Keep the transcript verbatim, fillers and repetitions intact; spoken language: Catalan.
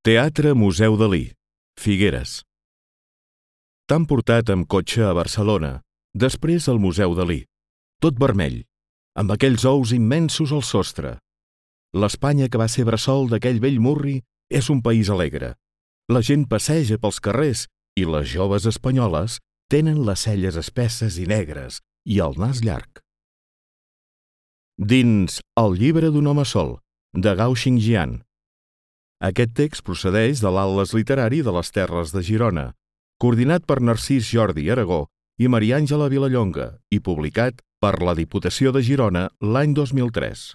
Teatre Museu Dalí, Figueres. T'han portat amb cotxe a Barcelona, després al Museu Dalí, tot vermell, amb aquells ous immensos al sostre. L'Espanya que va ser bressol d'aquell vell murri és un país alegre. La gent passeja pels carrers i les joves espanyoles tenen les celles espesses i negres i el nas llarg. Dins El llibre d'un home sol, de Gao Xingjian. Aquest text procedeix de l'Atles literari de les Terres de Girona, coordinat per Narcís Jordi Aragó i Maria Àngela Vilallonga i publicat per la Diputació de Girona l'any dos mil tres.